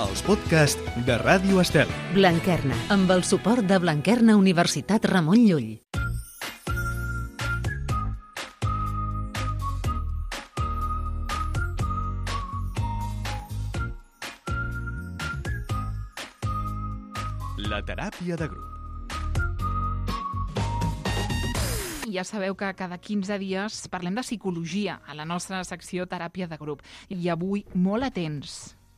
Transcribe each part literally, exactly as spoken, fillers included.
els podcasts de Ràdio Estel. Blanquerna, amb el suport de Blanquerna Universitat Ramon Llull. La teràpia de grup. Ja sabeu que cada quinze dies parlem de psicologia a la nostra secció Teràpia de grup. I avui molt atents,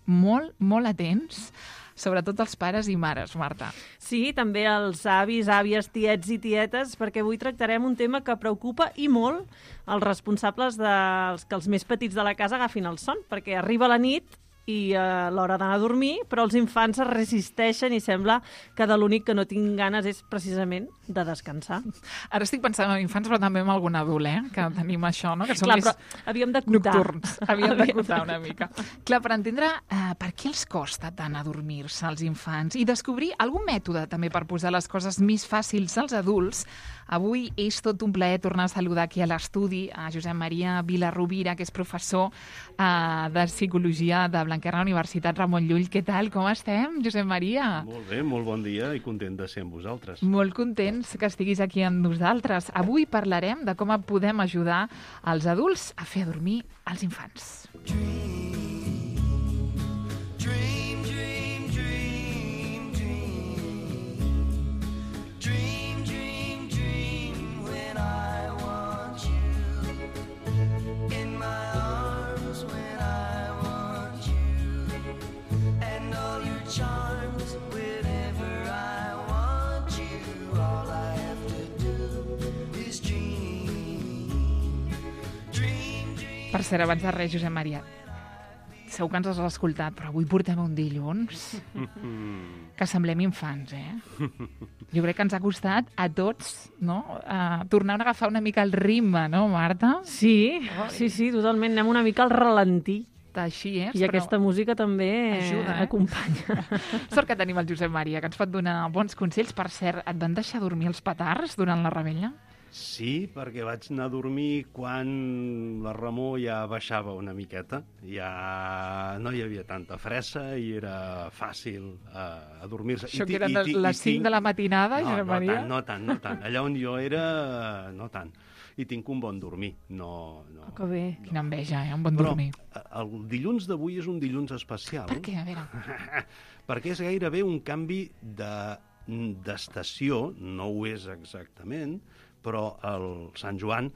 molt, molt atents, sobretot els pares i mares, Marta. Sí, també els avis, àvies, tiets i tietes, perquè avui tractarem un tema que preocupa i molt els responsables dels que els més petits de la casa agafin el son, perquè arriba la nit i a l'hora d'anar a dormir, però els infants es resisteixen i sembla que de l'únic que no tinc ganes és precisament de descansar. Ara estic pensant en infants, però també en algun adult, eh? Que tenim això, no? Que són Clar, més però havíem d'acotar. nocturns. Havíem d'acotar una mica. Clar, per entendre eh, per què els costa tant adormir-se als infants i descobrir algun mètode també per posar les coses més fàcils als adults, avui és tot un plaer tornar a saludar aquí a l'estudi a Josep Maria Vilarrovira, que és professor eh, de Psicologia de Blanquerna Universitat Ramon Llull. Què tal? Com estem, Josep Maria? Molt bé, molt bon dia i content de ser amb vosaltres. Molt contents que estiguis aquí amb nosaltres. Avui parlarem de com podem ajudar els adults a fer dormir els infants. Per cert, abans de res, Josep Maria, segur que ens has escoltat, però avui portem un dilluns que semblem infants, eh? Jo crec que ens ha costat a tots, no?, uh, tornar a agafar una mica el ritme, no, Marta? Sí, sí, sí, totalment. Anem una mica al ralentí. Així és, I però aquesta música també ajuda, eh? acompanya. Sort que tenim el Josep Maria, que ens pot donar bons consells. Per cert, et van deixar dormir els petards durant la revetlla? Sí, perquè vaig anar a dormir quan la remor ja baixava una miqueta. Ja no hi havia tanta fressa i era fàcil uh, adormir-se. Això I ti- que eren i ti- les i cinc tinc- de la matinada, no, Josep no Maria? tant, no tant, no tant. Allà on jo era, no tant. I tinc un bon dormir. No, no. Oh, que bé. Quina enveja, eh? Un bon Però dormir. eh, el dilluns d'avui és un dilluns especial. Per què? A veure. Perquè és gairebé un canvi de d'estació, no ho és exactament, però el Sant Joan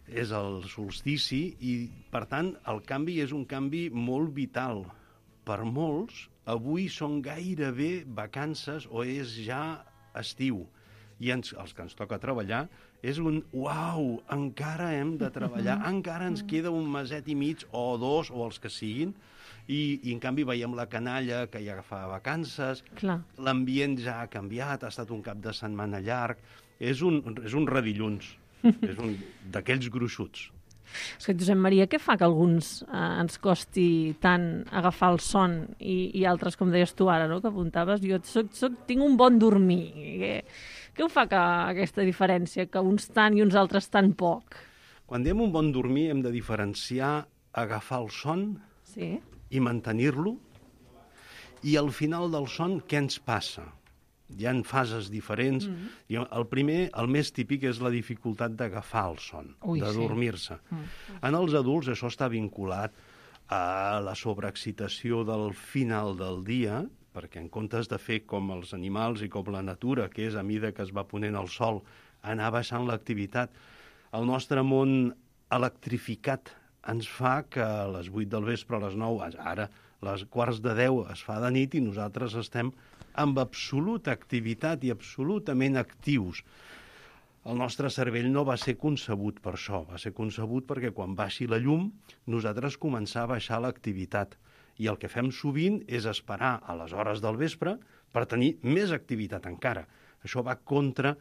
és el solstici i, per tant, el canvi és un canvi molt vital. Per molts, avui són gairebé vacances o és ja estiu. I ens, els que ens toca treballar és un uau, encara hem de treballar, encara ens queda un meset i mig o dos o els que siguin, i, i en canvi veiem la canalla que ja fa vacances, Clar. l'ambient ja ha canviat, ha estat un cap de setmana llarg, és un, és un redilluns, és un d'aquells gruixuts. És que, Josep Maria, què fa que alguns eh, ens costi tant agafar el son i, i altres, com deies tu ara, no?, que apuntaves, jo soc, soc, tinc un bon dormir. Què, què ho fa que, aquesta diferència, que uns tant i uns altres tan poc? Quan diem un bon dormir hem de diferenciar agafar el son Sí. i mantenir-lo, i al final del son què ens passa? Hi ha fases diferents. Mm-hmm. El primer, el més típic, és la dificultat d'agafar el son, Ui, de sí. dormir-se. Mm. En els adults això està vinculat a la sobreexcitació del final del dia, perquè en comptes de fer com els animals i com la natura, que és a mida que es va ponent el sol, anar baixant l'activitat, el nostre món electrificat ens fa que a les vuit del vespre, a les nou, ara a les quarts de deu es fa de nit i nosaltres estem amb absoluta activitat i absolutament actius. El nostre cervell no va ser concebut per això, va ser concebut perquè quan baixi la llum nosaltres començar a baixar l'activitat. I el que fem sovint és esperar a les hores del vespre per tenir més activitat encara. Això va contra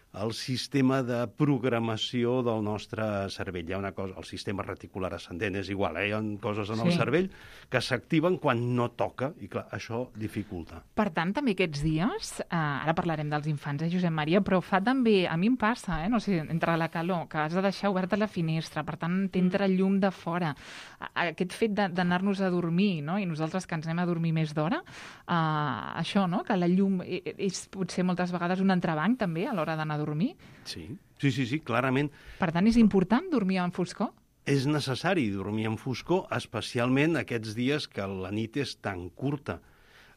el sistema de programació del nostre cervell. Hi ha una cosa, el sistema reticular ascendent és igual, eh? Hi ha coses en el Sí. cervell que s'activen quan no toca, i clar, això dificulta. Per tant, també aquests dies, eh, ara parlarem dels infants, eh, Josep Maria, però fa també, a mi em passa, eh, no sé, entre la calor, que has de deixar oberta la finestra, per tant, t'entra llum de fora. A- Aquest fet de- d'anar-nos a dormir, no?, i nosaltres que ens anem a dormir més d'hora, eh, això, no?, que la llum e- e- és potser moltes vegades un entrebanc també a l'hora d'anar a dormir. Sí, sí, sí, sí, clarament. Per tant, és important dormir en foscor? És necessari dormir en foscor, especialment aquests dies que la nit és tan curta.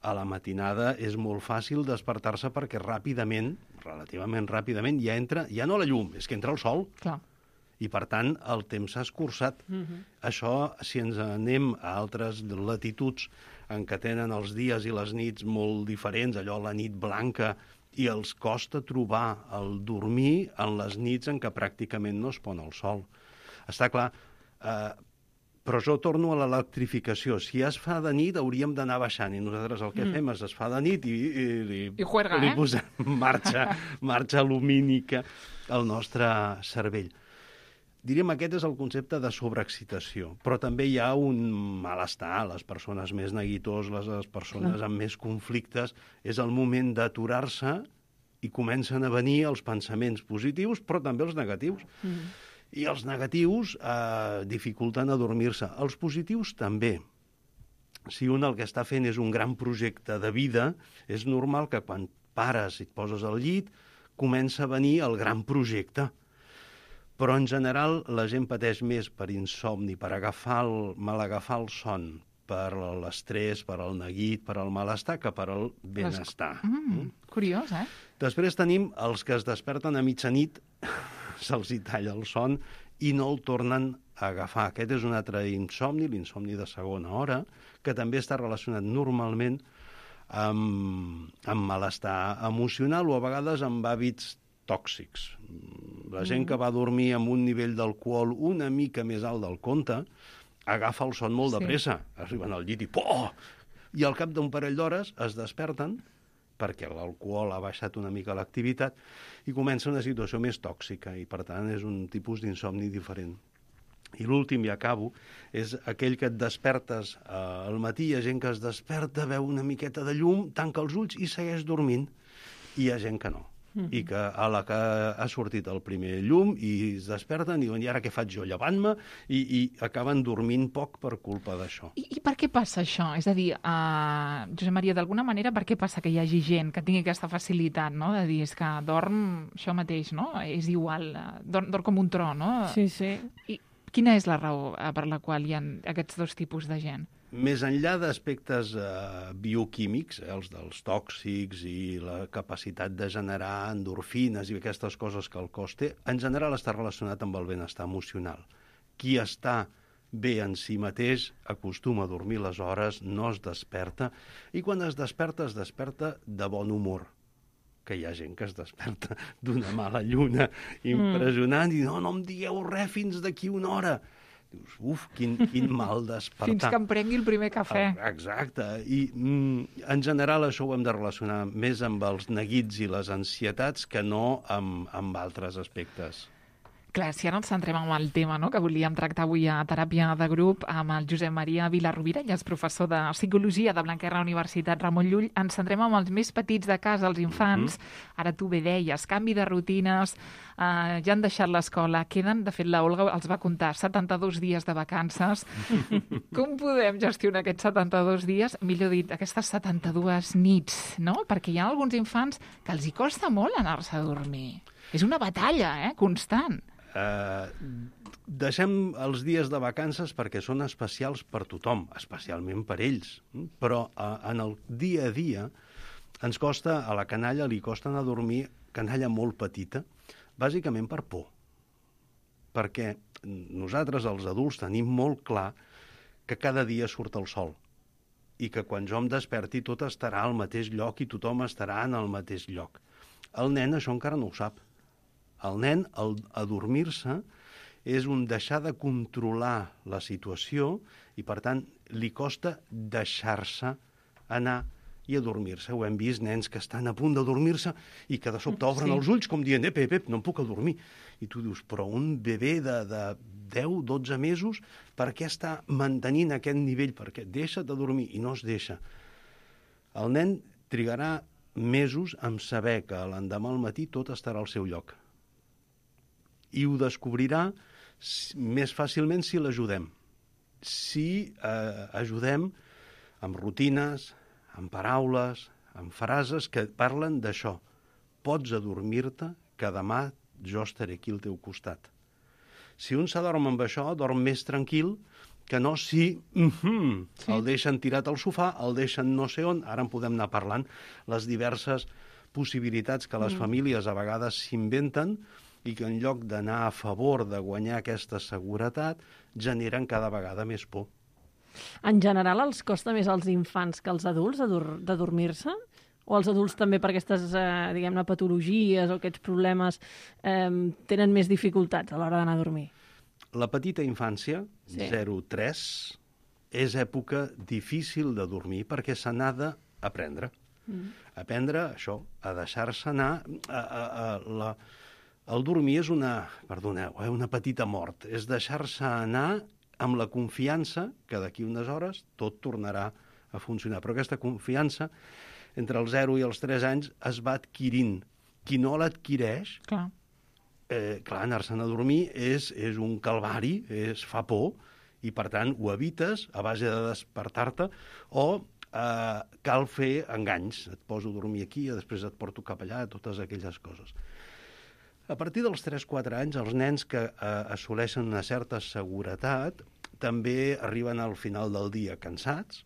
A la matinada és molt fàcil despertar-se perquè ràpidament, relativament ràpidament, ja entra, ja no la llum, és que entra el sol. Clar. I, per tant, el temps s'ha escurçat. Uh-huh. Això, si ens anem a altres latituds en què tenen els dies i les nits molt diferents, allò la nit blanca, i els costa trobar el dormir en les nits en què pràcticament no es pon el sol. Està clar, eh, però jo torno a l'electrificació. Si es fa de nit, hauríem d'anar baixant, i nosaltres el que mm. fem és es fa de nit i, i, i, I juerga, li eh? posem marxa, marxa lumínica al nostre cervell. Diríem, aquest és el concepte de sobreexcitació, però també hi ha un malestar. Les persones més neguitoses, les persones amb més conflictes, és el moment d'aturar-se i comencen a venir els pensaments positius, però també els negatius. Mm. I els negatius eh, dificulten adormir-se. Els positius també. Si un el que està fent és un gran projecte de vida, és normal que quan pares i et poses al llit, comença a venir el gran projecte. Però, en general, la gent pateix més per insomni, per agafar el, mal agafar el son, per l'estrès, per el neguit, per el malestar, que per el benestar. Mm, curiós, eh? Després tenim els que es desperten a mitjanit, se'ls hi talla el son i no el tornen a agafar. Aquest és un altre insomni, l'insomni de segona hora, que també està relacionat normalment amb, amb malestar emocional o a vegades amb hàbits tòxics. La gent que va dormir amb un nivell d'alcohol una mica més alt del compte agafa el son molt de Sí. pressa. Arriben al llit i poh! I al cap d'un parell d'hores es desperten perquè l'alcohol ha baixat una mica l'activitat i comença una situació més tòxica i, per tant, és un tipus d'insomni diferent. I l'últim, i acabo, és aquell que et despertes eh, al matí, hi ha gent que es desperta, veu una miqueta de llum, tanca els ulls i segueix dormint. I hi ha gent que no. Mm-hmm. I que a la que ha sortit el primer llum i es desperten i diuen, i ara què faig jo, llevant-me? I, i acaben dormint poc per culpa d'això. I, I per què passa això? És a dir, uh, Josep Maria, d'alguna manera, per què passa que hi hagi gent que tingui aquesta facilitat, no?, de dir, és que dorm això mateix, no?, és igual, uh, dorm, dorm com un tro, no? Sí, sí. I quina és la raó uh, per la qual hi ha aquests dos tipus de gent? Més enllà d'aspectes eh, bioquímics, eh, els dels tòxics i la capacitat de generar endorfines i aquestes coses que el cos té, en general està relacionat amb el benestar emocional. Qui està bé en si mateix acostuma a dormir les hores, no es desperta, i quan es desperta, es desperta de bon humor. Que hi ha gent que es desperta d'una mala lluna impressionant mm. i no, no em digueu res fins d'aquí una hora. Dius, uf, quin, quin mal despertar. Fins que em prengui el primer cafè. Exacte. I mm, en general això ho hem de relacionar més amb els neguits i les ansietats que no amb, amb altres aspectes. Clar, si ara ens centrem en el tema, no?, que volíem tractar avui a Teràpia de Grup amb el Josep Maria Vilarrovira, ell és professor de Psicologia de Blanquerna Universitat Ramon Llull. Ens centrem en els més petits de casa, els infants. Mm-hmm. Ara tu bé deies, canvi de rutines, eh, ja han deixat l'escola, queden, de fet la Olga els va contar, setanta-dos dies de vacances. Com podem gestionar aquests setanta-dos dies? Millor dit, aquestes setanta-dues nits, no? Perquè hi ha alguns infants que els hi costa molt anar-se a dormir. És una batalla, eh?, constant. Uh, deixem els dies de vacances perquè són especials per tothom, especialment per ells. Però uh, en el dia a dia ens costa, a la canalla li costa anar a dormir, canalla molt petita, bàsicament per por. Perquè nosaltres, els adults, tenim molt clar que cada dia surt el sol i que quan jo em desperti tot estarà al mateix lloc i tothom estarà en el mateix lloc. El nen això encara no ho sap. El nen, al adormir-se, és un deixar de controlar la situació i, per tant, li costa deixar-se anar i a dormir-se. Ho hem vist, nens que estan a punt de dormir-se i que de sobte obren Sí. els ulls com dient, ep, ep, ep, no em puc adormir. I tu dius, però un bebè de, de deu, dotze mesos, per què està mantenint aquest nivell? Perquè deixa't de dormir i no es deixa. El nen trigarà mesos en saber que l'endemà al matí tot estarà al seu lloc. I ho descobrirà més fàcilment si l'ajudem. Si eh, ajudem amb rutines, amb paraules, amb frases que parlen d'això. Pots adormir-te, que demà jo estaré aquí al teu costat. Si un s'adorm amb això, dorm més tranquil que no si mm-hmm, Sí. el deixen tirat al sofà, el deixen no sé on, ara en podem anar parlant, les diverses possibilitats que les mm. famílies a vegades s'inventen i que en lloc d'anar a favor de guanyar aquesta seguretat, generen cada vegada més por. En general, els costa més als infants que als adults de, dur de dormir-se? O els adults també per aquestes, eh, diguem-ne, patologies o aquests problemes eh, tenen més dificultats a l'hora d'anar a dormir? La petita infància, Sí. zero a tres, és època difícil de dormir perquè se n'ha d'aprendre. Mm. Aprendre això, a deixar-se anar. A, a, a, la, el dormir és una, perdoneu, eh, una petita mort. És deixar-se anar amb la confiança que d'aquí unes hores tot tornarà a funcionar. Però aquesta confiança, entre els zero i els tres anys, es va adquirint. Qui no l'adquireix, Clar. Eh, clar, anar-se'n a dormir és, és un calvari, és, fa por, i per tant ho evites a base de despertar-te, o eh, cal fer enganys. Et poso a dormir aquí, i després et porto cap allà, totes aquelles coses. A partir dels tres a quatre anys, els nens que eh, assoleixen una certa seguretat també arriben al final del dia cansats,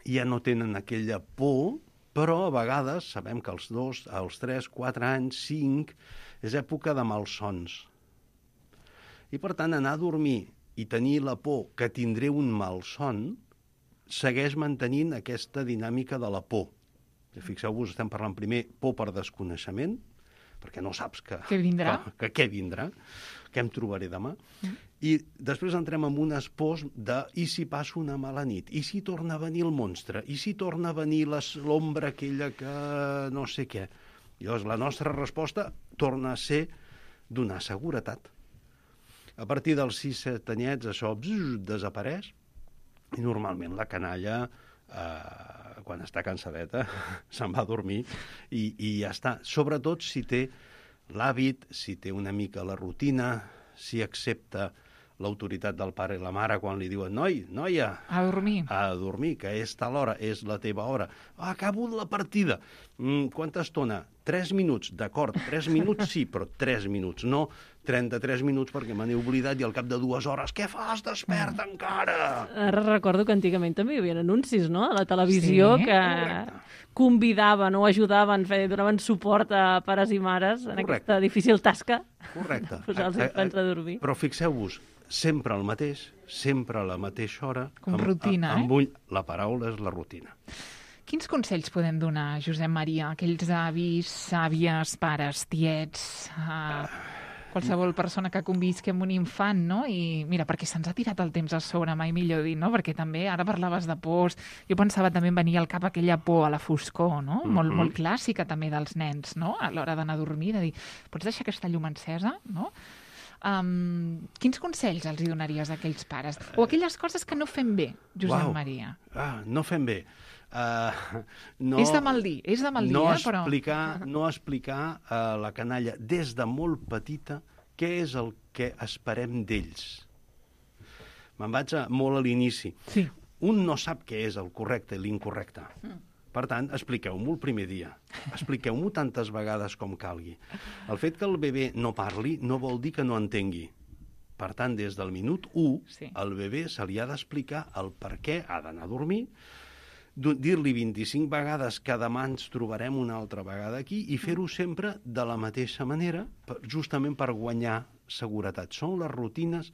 ja no tenen aquella por, però a vegades sabem que als dos, als tres, quatre anys, cinc, és època de malsons. I per tant, anar a dormir i tenir la por que tindré un malson segueix mantenint aquesta dinàmica de la por. Fixeu-vos, estem parlant primer por per desconeixement, perquè no saps que, Què vindrà. Que, que què vindrà, què em trobaré demà. Mm. I després entrem en unes pors de i si passo una mala nit, i si torna a venir el monstre, i si torna a venir l'ombra aquella que no sé què. Llavors, la nostra resposta torna a ser donar seguretat. A partir dels sis set anyets, això bzz, desapareix, i normalment la canalla, eh, quan està cansadeta, se'n va a dormir i, i ja està. Sobretot si té l'hàbit, si té una mica la rutina, si accepta l'autoritat del pare i la mare quan li diuen noi, noia, A dormir. a dormir, que és tal hora, és la teva hora. Ah, acabo la partida. Mm, quanta estona? Tres minuts, d'acord, tres minuts sí, però tres minuts, no trenta-tres minuts perquè me n'he oblidat i al cap de dues hores, què fas? Desperta encara! Ara recordo que antigament també hi havia anuncis, no?, a la televisió, Sí, que correcte. convidaven o ajudaven, feien, donaven suport a pares i mares en Correcte. aquesta difícil tasca. Correcte. Posar els A- a- infants a dormir. Però fixeu-vos, sempre el mateix, sempre a la mateixa hora. Com amb- rutina, amb eh? ull, la paraula és la rutina. Quins consells podem donar, Josep Maria, a aquells avis, àvies, pares, tiets, a qualsevol persona que convisqui amb un infant, no? I mira, perquè se'ns ha tirat el temps a sobre, mai millor dit, no? Perquè també ara parlaves de pors, jo pensava també en venir al cap aquella por a la foscor, no? Mhm. Molt, molt clàssica també dels nens, no? A l'hora d'anar a dormir, de dir, pots deixar aquesta llum encesa, no? Um, quins consells els hi donaries a aquells pares? O aquelles coses que no fem bé, Josep Uau. Maria? Ah, no fem bé. Uh, no, És de mal dir, és de mal dir, no eh, però... explicar, no explicar a la canalla des de molt petita què és el que esperem d'ells. Me'n vaig a, molt a l'inici. Sí. Un no sap què és el correcte i l'incorrecte. Mm. Per tant, expliqueu-m'ho el primer dia. Expliqueu-m'ho tantes vegades com calgui. El fet que el bebè no parli no vol dir que no entengui. Per tant, des del minut u, Sí. al bebè se li ha d'explicar el per què ha d'anar a dormir, du- dir-li vint-i-cinc vegades que demà ens trobarem una altra vegada aquí i fer-ho sempre de la mateixa manera, per- justament per guanyar seguretat. Són les rutines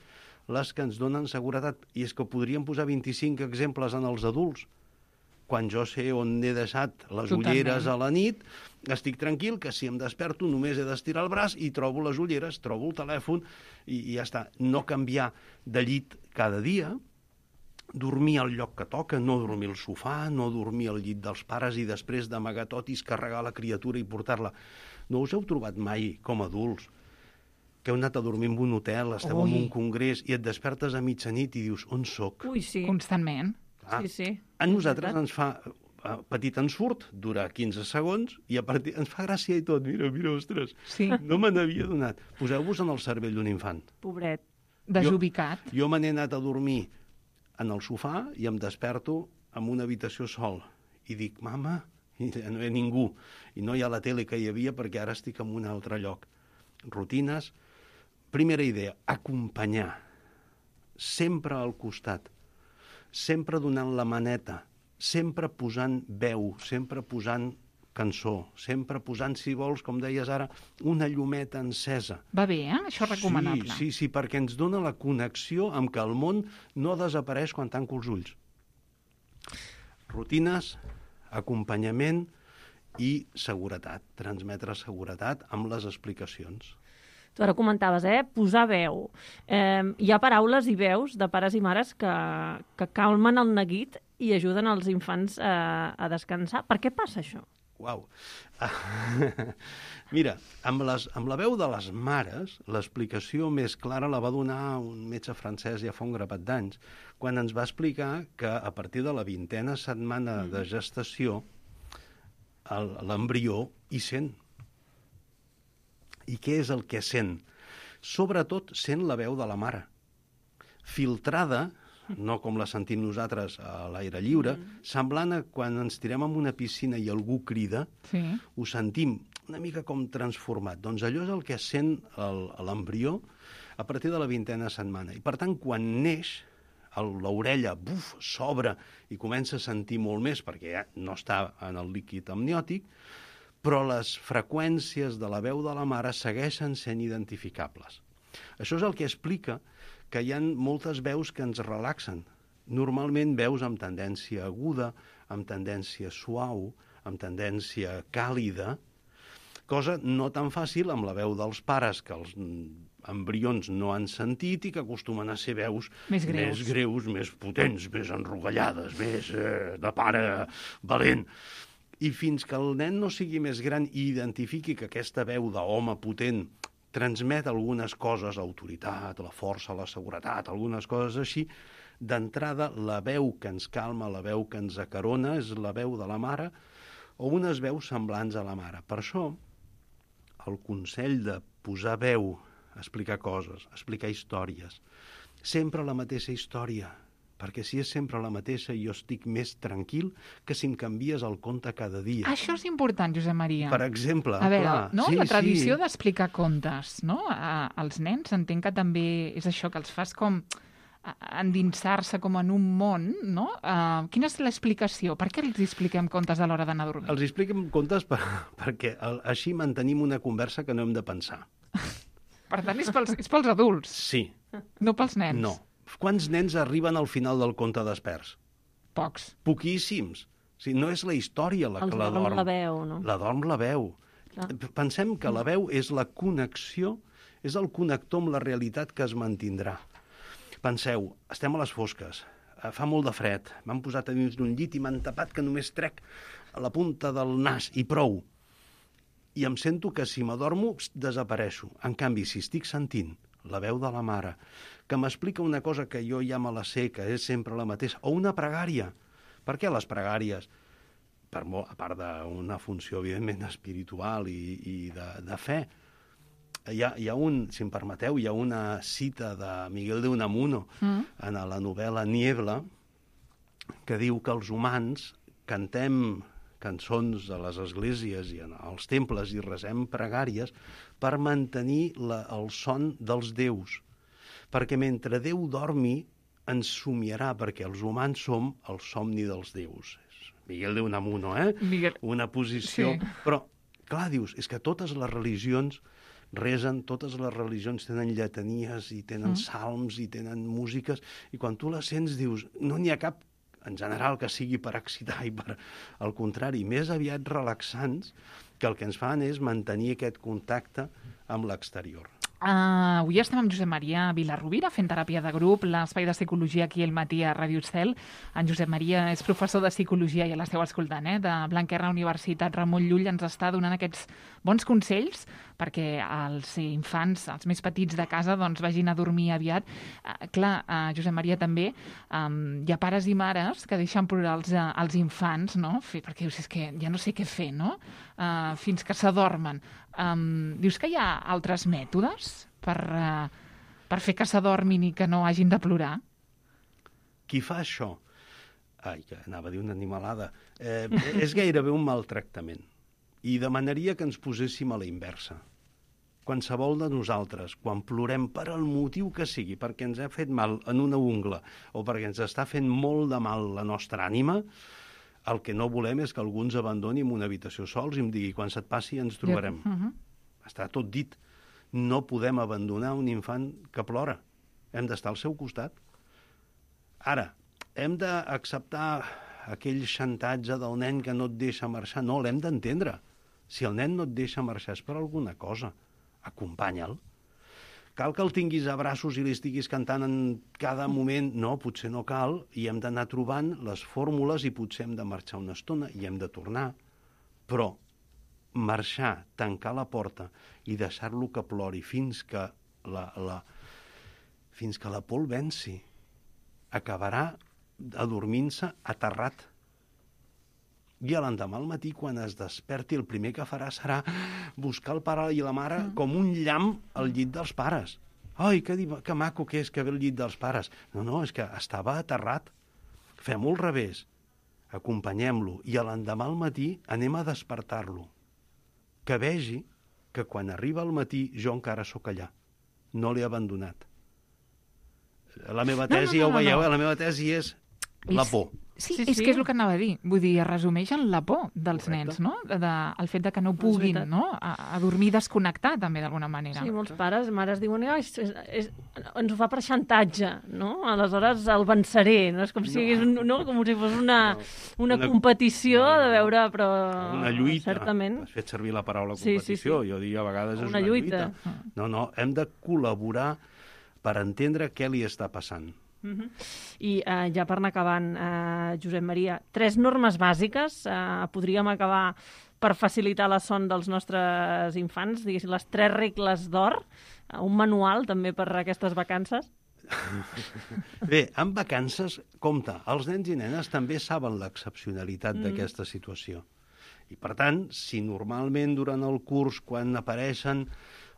les que ens donen seguretat. I és que podríem posar vint-i-cinc exemples en els adults. Quan jo sé on he deixat les Totalment. ulleres a la nit, estic tranquil que si em desperto només he d'estirar el braç i trobo les ulleres, trobo el telèfon i, i ja està. No canviar de llit cada dia, dormir al lloc que toca, no dormir al sofà, no dormir al llit dels pares i després d'amagar tot i carregar la criatura i portar-la. No us heu trobat mai, com a adults, que heu anat a dormir en un hotel, esteu Ui. en un congrés i et despertes a mitjanit i dius, on soc? Ui, sí. Constantment. Ah, Sí, sí. a nosaltres És veritat. ens fa eh, petit ensurt, dura quinze segons, i a partir ens fa gràcia i tot. Mira, mira, ostres, Sí, no me n'havia donat. Poseu-vos en el cervell d'un infant. Pobret. desubicat. Jo me n'he anat a dormir en el sofà i em desperto en una habitació sol. I dic, mama, i no hi ha ningú. I no hi ha la tele que hi havia perquè ara estic en un altre lloc. Rutines. Primera idea, acompanyar. Sempre al costat. Sempre donant la maneta. Sempre posant veu. Sempre posant cançó. Sempre posant, si vols, com deies ara, una llumeta encesa. Va bé, eh? Això és recomanable. Sí, sí, sí, perquè ens dona la connexió amb que el món no desapareix quan tanco els ulls. Rutines, acompanyament i seguretat. Transmetre seguretat amb les explicacions. Tu ara comentaves, eh? Posar veu. Eh, hi ha paraules i veus de pares i mares que, que calmen el neguit i ajuden els infants eh, a descansar. Per què passa això? Uau. Mira, amb, les, amb la veu de les mares, l'explicació més clara la va donar un metge francès ja fa un grapat d'anys, quan ens va explicar que a partir de la vintena setmana de gestació el- l'embrió hi sent. I què és el que sent? Sobretot sent la veu de la mare. Filtrada, no com la sentim nosaltres a l'aire lliure, semblant a quan ens tirem en una piscina i algú crida, Sí. ho sentim una mica com transformat. Doncs allò és el que sent el- l'embrió a partir de la vintena setmana. I per tant, quan neix, el- l'orella buf, s'obre i comença a sentir molt més, perquè ja no està en el líquid amniòtic, però les freqüències de la veu de la mare segueixen sent identificables. Això és el que explica que hi ha moltes veus que ens relaxen. Normalment veus amb tendència aguda, amb tendència suau, amb tendència càlida, cosa no tan fàcil amb la veu dels pares que els embrions no han sentit i que acostumen a ser veus Més greus. més, greus, més potents, més enrogallades, més eh, de pare valent. I fins que el nen no sigui més gran i identifiqui que aquesta veu d'home potent transmet algunes coses, autoritat, la força, la seguretat, algunes coses així, d'entrada la veu que ens calma, la veu que ens acarona és la veu de la mare o unes veus semblants a la mare. Per això, el consell de posar veu, explicar coses, explicar històries, sempre la mateixa història, perquè si és sempre la mateixa jo estic més tranquil que si em canvies el conte cada dia. Això és important, Josep Maria. Per exemple, A veure, clar, no? sí, la tradició sí. d'explicar contes, no? A, als nens entenc que també és això, que els fas com a- endinsar-se com en un món, no? Uh, quina és l'explicació? Per què els expliquem contes a l'hora d'anar a dormir? Els expliquem contes per, perquè el, així mantenim una conversa que no hem de pensar. Per tant, és pels, és pels adults, Sí, no pels nens. no. Quants nens arriben al final del conte desperts? Pocs. Poquíssims. O sigui, no és la història la Els que la dorm dorm. la veu, no? La dorm la veu. Clar. Pensem que la veu és la connexió, és el connector amb la realitat que es mantindrà. Penseu, estem a les fosques, eh, fa molt de fred, m'han posat a dins d'un llit i m'han tapat que només trec a la punta del nas i prou. I em sento que si m'adormo desapareixo. En canvi, si estic sentint la veu de la mare, que m'explica una cosa que jo ja me la sé, que és sempre la mateixa, o una pregària. Per què les pregàries? Per molt, a part d'una funció, evidentment, espiritual i, i de, de fe, hi ha, hi ha un, si em permeteu, hi ha una cita de Miguel de Unamuno mm. en la novel·la Niebla, que diu que els humans cantem cançons a les esglésies i als temples i resem pregàries per mantenir la, el son dels déus. Perquè mentre Déu dormi ens somiarà, perquè els humans som el somni dels déus. És Miguel de Unamuno, eh? Miguel. Una posició... Sí. Però, clar, dius, és que totes les religions resen, totes les religions tenen lletanies i tenen mm. salms i tenen músiques, i quan tu les sents dius, no n'hi ha cap en general que sigui per excitar i per... Al contrari, més aviat relaxants, que el que ens fan és mantenir aquest contacte amb l'exterior. Uh, avui estem amb Josep Maria Vilarrubira fent teràpia de grup, l'espai de psicologia aquí al matí a Ràdio Estel. En Josep Maria és professor de psicologia, ja l'esteu escoltant, eh? de Blanquerna Universitat Ramon Llull. Ens està donant aquests bons consells perquè els infants, els més petits de casa, doncs, vagin a dormir aviat. Uh, clar, uh, Josep Maria, també um, hi ha pares i mares que deixen plorar els, uh, els infants, no? Perquè dius, és que ja no sé què fer, no? Uh, fins que s'adormen. Um, dius que hi ha altres mètodes per, uh, per fer que s'adormin i que no hagin de plorar? Qui fa això, ai, que anava a dir una animalada, eh, és gairebé un maltractament. I demanaria que ens poséssim a la inversa. Qualsevol de nosaltres, quan plorem per el motiu que sigui, perquè ens ha fet mal en una ungla o perquè ens està fent molt de mal la nostra ànima, el que no volem és que algú ens abandoni en una habitació sols i em digui, quan se't passi ens trobarem. Uh -huh. Està tot dit. No podem abandonar un infant que plora. Hem d'estar al seu costat. Ara, hem d'acceptar aquell xantatge del nen que no et deixa marxar. No, l'hem d'entendre. Si el nen no et deixa marxar és per alguna cosa. Acompanya'l. Cal que el tinguis a braços i li estiguis cantant en cada moment? No, potser no cal, i hem d'anar trobant les fórmules i potser hem de marxar una estona i hem de tornar. Però marxar, tancar la porta i deixar-lo que plori fins que la, la, fins que la por el venci, acabarà adormint-se aterrat. I a l'endemà al matí, quan es desperti, el primer que farà serà buscar el pare i la mare mm. com un llamp al llit dels pares. Ai, que, que maco que és que ve al llit dels pares. No, no, és que estava aterrat. Fem-ho al revés. Acompanyem-lo i a l'endemà al matí anem a despertar-lo. Que vegi que quan arriba al matí jo encara sóc allà. No l'he abandonat. La meva tesi, no, no, no, ja ho veieu, no, no. La meva tesi és la por. Sí, sí, és sí. que és el que anava a dir. Vull dir, es resumeix en la por dels Correcte. nens, no? De, de, el fet de que no puguin, no? A, a dormir desconnectar, també, d'alguna manera. Sí, molts pares, mares diuen, oh, és, és, és, ens ho fa per xantatge, no? Aleshores el venceré, no? És com si, no. un, no? com si fos una, no. una, una competició no, no, no. de veure, però... Una lluita. Certament. Has fet servir la paraula competició. Sí, sí, sí. Jo dic, a vegades una és una lluita. lluita. No, no, hem de col·laborar per entendre què li està passant. Uh -huh. I uh, ja per anar acabant, uh, Josep Maria, tres normes bàsiques uh, podríem acabar per facilitar la son dels nostres infants, diguéssim, les tres regles d'or, uh, un manual també per aquestes vacances? Bé, en vacances, compte, els nens i nenes també saben l'excepcionalitat mm. d'aquesta situació. I per tant, si normalment durant el curs, quan apareixen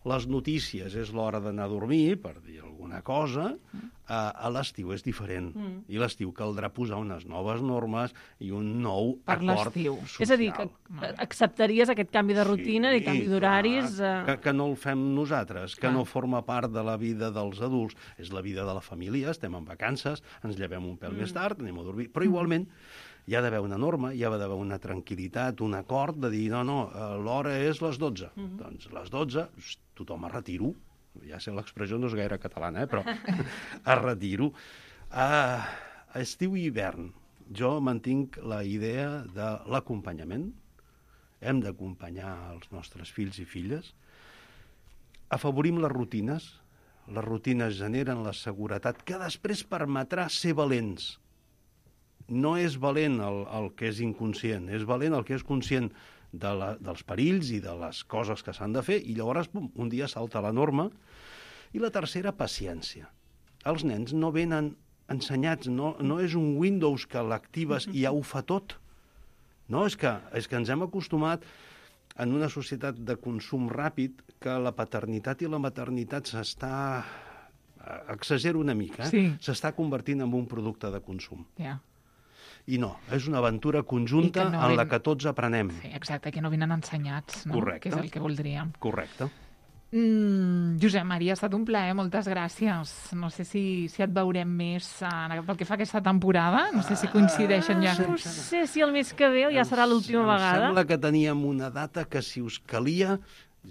les notícies, és l'hora d'anar a dormir, per dir alguna cosa, a, a l'estiu és diferent. Mm. I l'estiu caldrà posar unes noves normes i un nou per acord l'estiu. social. És a dir, que acceptaries aquest canvi de rutina sí, i canvi d'horaris? Eh... Que, que no el fem nosaltres, que clar. no forma part de la vida dels adults. És la vida de la família, estem en vacances, ens llevem un pèl mm. més tard, anem a dormir. Però igualment hi ha d'haver una norma, hi ha d'haver una tranquil·litat, un acord de dir, no, no, l'hora és les dotze. Mm-hmm. Doncs les dotze, tothom a retiro. Ja sé, l'expressió no és gaire catalana, eh? Però a retiro. A estiu i hivern, jo mantinc la idea de l'acompanyament. Hem d'acompanyar els nostres fills i filles. Afavorim les rutines. Les rutines generen la seguretat que després permetrà ser valents. No és valent el, el que és inconscient, és valent el que és conscient de la, dels perills i de les coses que s'han de fer, i llavors pum, un dia salta la norma. I la tercera, paciència. Els nens no venen ensenyats, no, no és un Windows que l'actives i ja ho fa tot. No, és que, és que ens hem acostumat en una societat de consum ràpid que la paternitat i la maternitat s'està... exagero una mica, eh? Sí. S'està convertint en un producte de consum. Ja. Yeah. I no, és una aventura conjunta no en ven... la que tots aprenem. Sí, exacte, que no venen ensenyats, no? Correcte. Que és el que voldríem. Correcte. Mm, Josep Maria, ha estat un plaer, moltes gràcies. No sé si, si et veurem més uh, pel que fa aquesta temporada, no sé si coincideixen ja. No sé si el mes que ve ja serà l'última vegada. Em sembla que teníem una data que si us calia,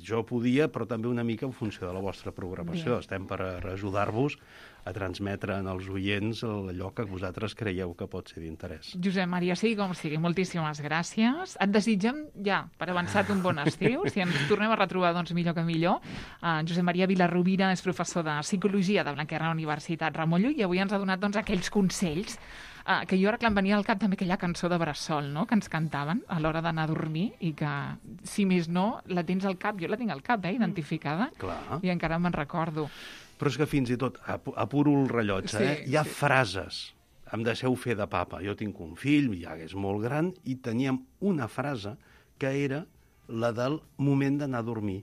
jo podia, però també una mica en funció de la vostra programació. Bé. Estem per ajudar-vos a transmetre en els oients allò que vosaltres creieu que pot ser d'interès. Josep Maria, sigui com sigui, moltíssimes gràcies. Et desitgem ja, per avançat, un bon estiu. Si ens tornem a retrobar, doncs millor que millor. Uh, Josep Maria Vilarrubira és professor de Psicologia de Blanquerna Universitat Ramon Llull i avui ens ha donat doncs, aquells consells uh, que jo ara que em venia al cap també aquella cançó de Bressol, no?, que ens cantaven a l'hora d'anar a dormir i que, si més no, la tens al cap. Jo la tinc al cap, eh, identificada. Clar. I encara me'n recordo. Però és que fins i tot, ap apuro el rellotge, Sí, eh? Hi ha sí. frases. Em deixeu fer de papa. Jo tinc un fill, ja és molt gran, i teníem una frase que era la del moment d'anar a dormir.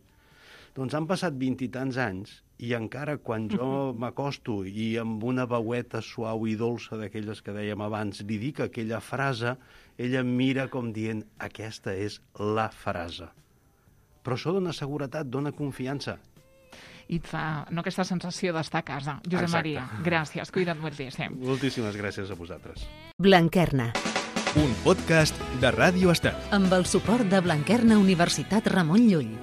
Doncs han passat vint i tants anys i encara quan jo m'acosto i amb una veueta suau i dolça d'aquelles que dèiem abans li dic aquella frase, ella em mira com dient aquesta és la frase. Però això dona seguretat, dona confiança. I et fa no, aquesta sensació d'estar a casa. Josep Exacte. Maria, gràcies. Cuida't moltíssim. Moltíssimes gràcies a vosaltres. Blanquerna, Un podcast de Ràdio Estel. amb el suport de Blanquerna Universitat Ramon Llull.